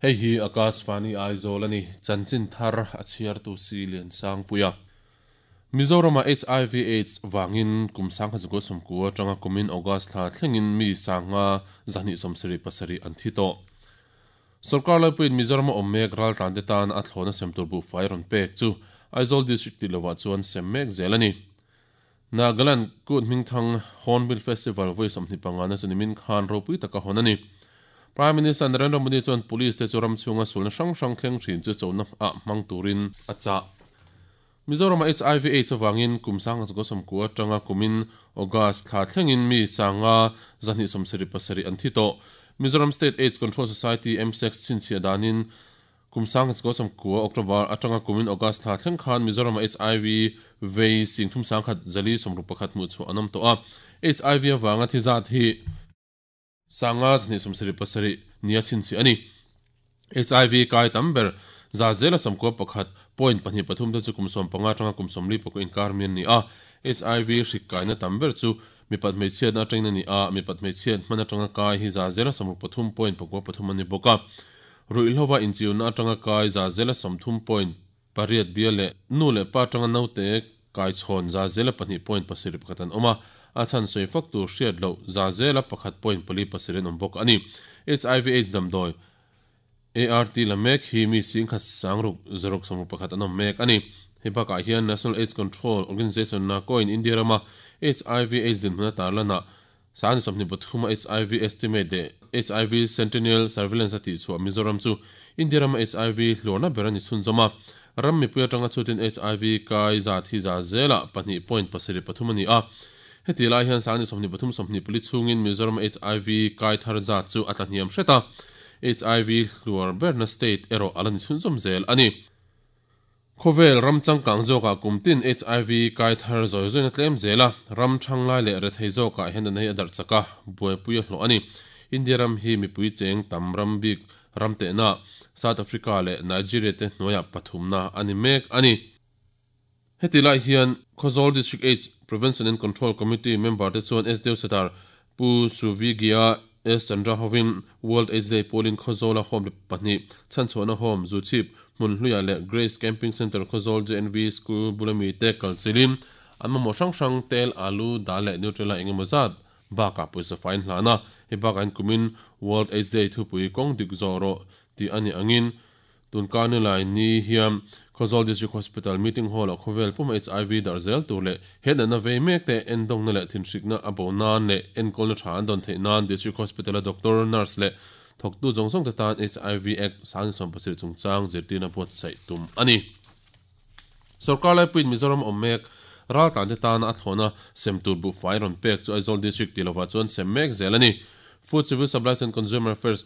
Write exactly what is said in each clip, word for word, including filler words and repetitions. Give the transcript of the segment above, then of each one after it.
Hei hi Akashvani Aizawl ani chanchin thar a chhiar tu si lian sang puia Mizorama H I V AIDS wangin kumsang kha zugo somku atanga kumin August thla thlengin mi sanga zani somsari pasari an thi to Sarkar laipuin Mizorama awm mek ral tlan te tan a thlawna sem tur bu fai rawn pek chu Aizawl district ti lova chuan sem mek zel ani Nagaland kut hmingthang Hornbill Festival voi sawmhnih panga na chu nimin khan ropui taka hawn ani Prime Minister Narendra Modi chuan police te chu ram chhunga sulna hrang hrang thleng thin chu chona a hmang turin a chah Mizorama H I V AIDS awangin kumsang zugo somku atanga kumin August thla thlengin mi sanga zahnih sawmsarih pasarih an thi tawh Mizoram State AIDS Control Society M S E C chhinchhiah danin kumsang zugo somku October atanga kumin August thla thleng khan Mizorama H I V vei singthum sangkhat zali sawmruk pakhat hmuh chu an awm tawh a H I V awanga thi zat hi sanga zahnih sawmsarih pasarih nia chhinchhiah ani H I V kai tam ber za zela samko pakhat point pahnih pathum te chu kumsawm panga atanga kumsawmli pakua inkar mian ni a H I V hrik kaina tam ber chu mipat hmeichhiatna atangin ani a mipat hmeichhiat hman atanga kai hi za zela sawmruk pathum point pakua pathum ani bawk a ruihhlo inchiuna atanga kai za zela sawmthum point pariat bia leh nu leh pa atanga naute kai chhawn za zela pahnih point pasarih pakhat an awm a a chhan sawi fak tur hriat loh za zela pakhat point pali pasarih an awm bawk ani H I V AIDS damdawi A R T la mek hi mi sing khat sangruk zaruk sawmruk pakhat an awm mek ani hei bakah hian National AIDS Control Organization na coin India rama H I V AIDS dinhmun a tarlana sani sawmhnih pathuma H I V estimate leh H I V Sentinel Surveillance a tih chhuah Mizoram chu India rama H I V hlawrna ber ani chhunzawm a ram mipui atanga chutin H I V kai zat hi za zela pahnih point pasarih pathum ani a heti lai hian sani sawmhnih pathum sawmhnih pali chhungin Mizoram H I V kai thar zat chu a tlahniam hret a H I V hluar berna state erawh ala ni chhunzawm zel ani Khawvel ram changkang zawkah kumtin H I V kai thar zawi zawina tlem zela ram thang lai leh rethei zawkah hian an hei a darh chaka buaipui a hlawh ani India ram hi mipui cheng tam ram bik ram tehna South Africa leh Nigeria te hnuaiah pathumna ani mek ani heti lai hian Khawzawl District AIDS Prevention and Control Committee member te chuan S Deo Sadar Pu Suvigia S Chandra hovin World AIDS Day polin Khawzawla home pahnih chhanchhuahna home Zuchhip hmun hluiah leh Grace Camping Center Khawzawl J N V School bulami te kalchilin an mamawh hrang hrang tel alu dal leh Nutrela engemaw zat bakah pawisa fain hlana hei bakah in kumin World AIDS Day thupui kawng dik zawh rawh tih ani angin tunkarni lai ni hian Khawzawl District Hospital Meeting Hall a khawvel pum H I V darh zel tur leh hetna vei mek te endawngna leh thinhrikna a bo nan leh enkawlna tha an dawn theih nan District Hospital a doctor nurse leh thawktu zawng zawng te tan H I V Act sangni sawm pasarih chungchang zirtirna buatsaih tum ani Sarkar laipuiin Mizoram awm mek ral tlan te tan a thlawna sem tur bu fai rawn pek chu Aizawl District ti lova chuan sem mek zel ani Food Civil Supplies and Consumer Affairs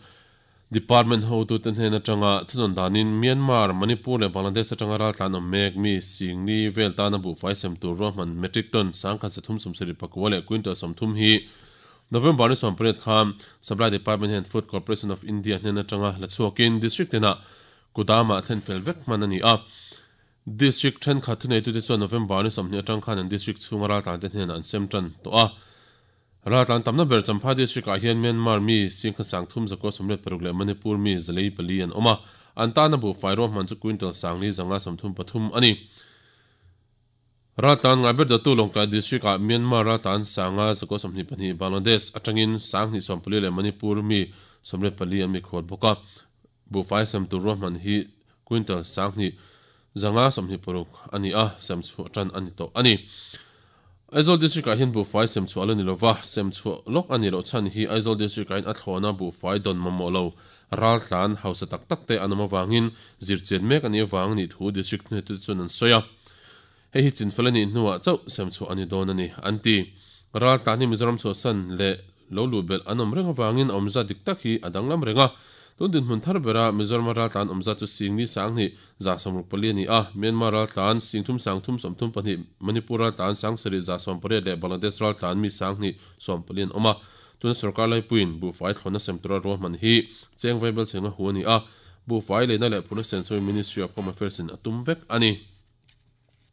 Department ho tu ten hnen atanga thunawn danin Myanmar Manipur leh Bangladesh atanga ral tlan awm mek mi singni vel tana bu fai sem tur ruahman metric ton sangkhat sathum sawmsarih pakua leh quintal sawmthum hi November ni sawmpariat khan Supply Department hian Food Corporation of India hnen atanga la chhuakin district tena kudama thlen fel vek hman ani a District thenkhat thunei tu te chuan November ni sawmhnih atang khan an district chhunga ral tlan te hnen an sem tan tawh a ral tlan tamna ber Champhai district ah hian Myanmar mi singkhat sangthum zakua sawmriat paruk leh Manipur mi zalei pali an awm a an tana bu fai ruahman chu quintal sangli zanga sawmthum pathum ani ral tlan ngai ber datu Lawngtlai district ah Myanmar ral tlan sanga zakua sawmhnih pahnih Bangladesh atangin sanghnih sawmpali leh Manipur mi sawmriat pali an mi khual bawk a bu fai sem tur ruahman hi quintal sanghnih zanga sawmhnih paruk ani a sem chhuah tan ani tawh ani Aizawl District ah hian bu fai sem chhuah ala ni lova sem chhuah lawk ani loh chhan hi Aizawl District ah hian a thlawna bu fai dawn mamawh lo ral tlan hausa tak tak te an awm awangin zirchian mek ani awang ni thu district hne tu chuan an sawi a hei hi chinfel ani hnuah chauh sem chhuah ani dawn ani an ti ral tlan hi Mizoram chhuahsan leh lo lu bel an awm reng awangin a awmza dik tak hi a danglam reng a tun dinhmun thar bera Mizoram ral tlan awmza chu singni sanghnih za sawmruk pali ani a Myanmar ral tlan singthum sangthum sawmthum pahnih Manipur ral tlan sangsarih za sawmpariat leh Bangladesh ral tlan mi sanghnih sawmpali an awm a tuna sarkar laipuiin bu fai thlawna sem tura ruahman hi cheng vaibel chhenga hu ani a bu fai leina leh phurna sensawi Ministry of Home Affairs in a tum vek ani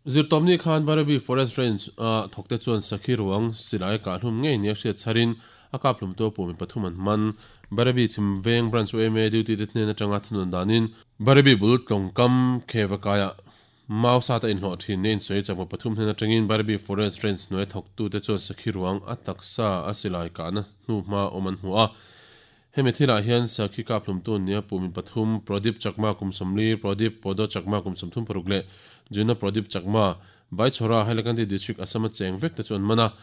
Zirtawmni khan Barabi Forest Range a thawkte chuan sakhi ruang silai kah hlum ngei nia hriat chharin a kap hlum to pumi pathum an man. Barabi Chimveng Branch U M A duty te hnen atanga thunun danin Barabi bul tlawngkam khevakaya mau sa ta inhlawh thin ne insoi chakma pathum hnen atangin Barabi Forest Range hnuai thawktu te chuan sakhi ruang a taksa a silai kahna hnu hma awm an hmu a. Hemi thilah hian sakhi kap hlum tu nia pumi pathum Pradip Chakma kum sawmli, Pradip Podo Chakma kum sawmthum paruk leh Juna Pradip Chakma Baichhora Hailakandi District Assam a cheng vek te chuan mana.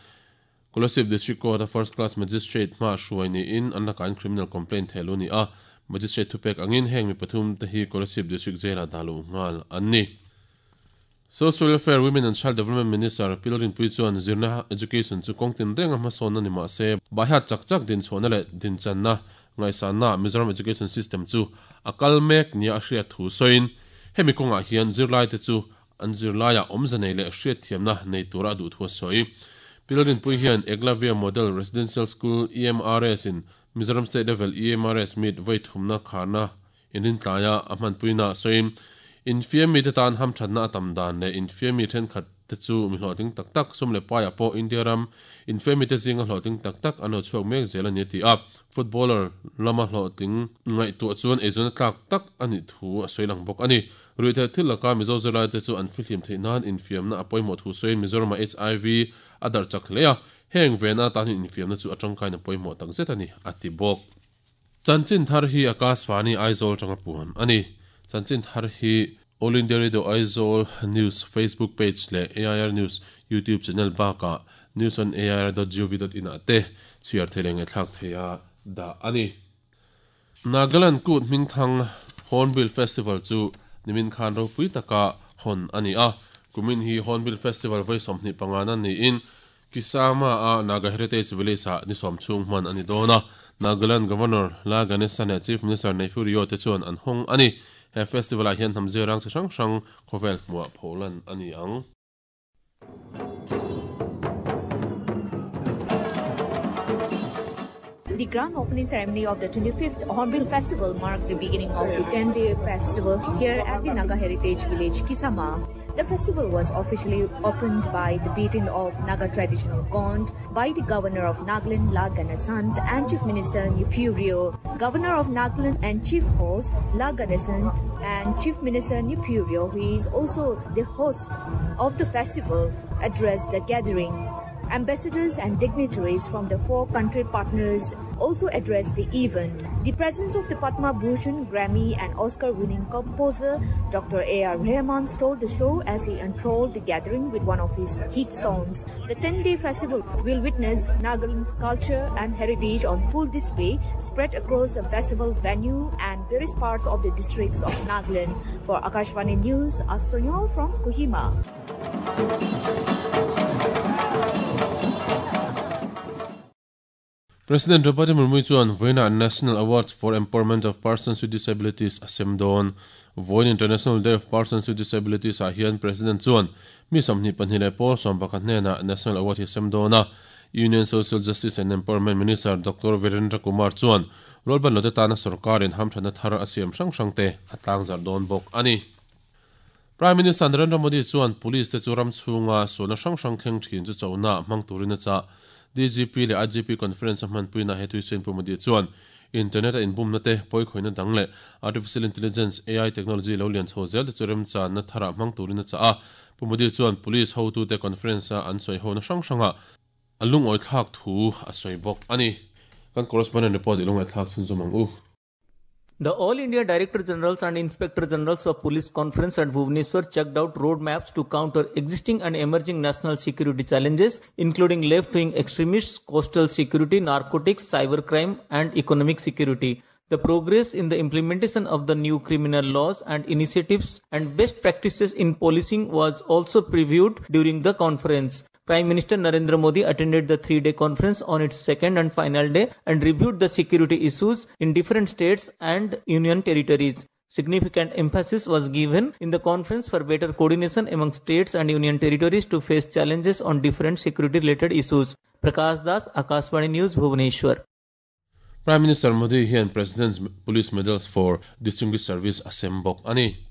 Kolasib District Court a First Class Magistrate ma hruai niin an lakain criminal complaint thelu ni a. Magistrate thupek angin heng mi pathum te hi Kolasib District Jail a dalu ngal an ni. Social Welfare, Women and Child Development Minister Pilrin Pui chuan zirna education chu kawngtin renga hmasawn ani ma se bahat chak chak din chhona leh din channa ngaihsanna Mizoram education system chu a kal mek nia a hriat thu sawiin hemi kawngah hian zirlai te chu an zirlaia awmze nei leh hriat thiamna nei tura duh thu a sawi. Pilrin Pui hian Eklavya Model Residential School E M R S in Mizoram State Level E M R S meet voi thumna kharna inrin tlaia a hmanpuina sawiin infiam mi te tan ham thatna atam dan le infiam mi then khat te chu mi hlawhtling tak tak sum le paia pawh India ram infiam mi te zinga hlawhtling tak tak an lo chhuak mek zel ani ti a. Footballer lama hlawhtling ngaihtuah chuan eizawn tlak tak ani thu a sawi lang bawk ani. Ruihtheih thil laka Mizo zirlai te chu an fihlim theih nan infiamna a pawimawh thu sawiin Mizoram H I V a dar chak hle a, heng vena tan infiamna chu atangkain a pawimawh tak zet ani a ti bawk. Chanchin thar hi Akashvani Aizawl tanga puan ani. Chanchin thar hi All India Radio Aizawl News Facebook page le A I R News YouTube channel baka news on A I R dot gov dot in ate chhiar theleng e thlak theia da ani. Nagaland Kut Hmingthang Hornbill Festival chu nimin khan ropui taka hon ani a. Kumin hi Hornbill Festival voi sawmhnih pangana niin Kisama a Naga Heritage Village a ni sawm chhung hman ani dawna. Nagaland Governor La Ganesan leh Chief Minister Neiphiu Rio te chuan an hawng ani. He festival ah hian hnamzir rang chi hrang hrang khawvel hmuah pholan ani ang. The grand opening ceremony of the twenty-fifth Hornbill Festival marked the beginning of the ten-day festival here at the Naga Heritage Village, Kisama. The festival was officially opened by the beating of Naga traditional gong by the Governor of Nagaland, La Ganesan, and Chief Minister Neiphiu Rio. Governor of Nagaland and Chief Host La Ganesan and Chief Minister Neiphiu Rio, who is also the host of the festival, addressed the gathering. Ambassadors and dignitaries from the four country partners also addressed the event. The presence of the Padma Bhushan, Grammy and Oscar-winning composer Doctor A R Rahman stole the show as he enthralled the gathering with one of his hit songs. The ten-day festival will witness Nagaland's culture and heritage on full display, spread across the festival venue and various parts of the districts of Nagaland. For Akashvani News, Asonyo from Kohima. President Draupadi Murmu chuan Voina National Awards for Empowerment of Persons with Disabilities asem dawn. Voin International Day of Persons with Disabilities a hian President chuan mi sawmhnih pahnih leh pawl sawm pakhat hnena National Award hi asem dawn a. Union Social Justice and Empowerment Minister Doctor Virendra Kumar chuan rolban lote tana sarkarin hamthana thar a siam hrang hrang te a tlangzar dawn bawk ani. Prime Minister Narendra Modi chuan police te chu ram chhunga sona hrang hrang thleng thin chu chona hmang turin a cha. D G P le I G P conference a hmanpuina he tui pu Modi chuan internet a inbumna te pawikhoina dang le artificial intelligence A I technology lo lian chho zel te chu rem chan na thara hmang turin a cha a. Pu Modi chuan police hotu te conference a an sawi ho na hrang hranga a lungawi thlak thu a sawi bawk ani. Kan correspondent report i lungawi thlak chhun zawm ang u. The All India Director Generals and Inspector Generals of Police Conference at Bhubaneswar checked out roadmaps to counter existing and emerging national security challenges, including left-wing extremists, coastal security, narcotics, cybercrime, and economic security. The progress in the implementation of the new criminal laws and initiatives and best practices in policing was also previewed during the conference. Prime Minister Narendra Modi attended the three-day conference on its second and final day and reviewed the security issues in different states and union territories. Significant emphasis was given in the conference for better coordination among states and union territories to face challenges on different security-related issues. Prakash Das, Akashvani News, Bhubaneswar. Prime Minister Modi hian President's Police Medals for Distinguished Service asem bawk ani.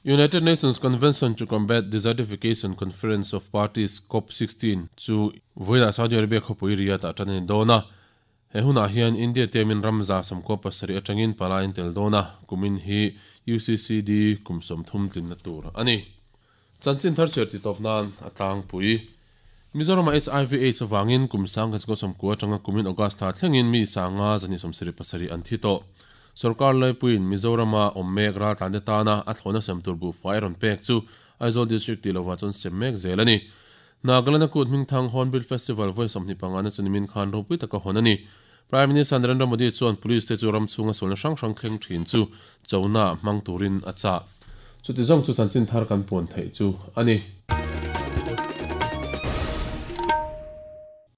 United Nations Convention to Combat Desertification Conference of Parties COP sixteen chu voina Saudi Arabia khopui Riyadh ah tan ani dawna he hunah hian India temin ramza samkua pasarih atangin palain tel dawna kumin hi U C C D kum sawmthum tlinna tur ani. Chanchin thar chhiar ti tawp nan a tlangpui. Mizoram H I V AIDS awangin kum sang ka samkua atanga kumin August thla thlengin mi sanga zani sawmsarih pasarih an thi tawh. Sarkar Laipuin Mizorama awm mek ral tlante tana a thlawna sem tur bu fai rawn pek chu Aizawl District ti lova chuan sem mek zel ani. Nagaland kut hmingthang Hornbill Festival vawi sawmhnih pangana chu nimin khan ropui taka hawn ani. Prime Minister Narendra Modi chuan police te chu ram chhunga sualna hrang hrang thleng thin chu chona hmang turin a chah. Chuti zawng chu chanchin thar kan puan theih chu ani.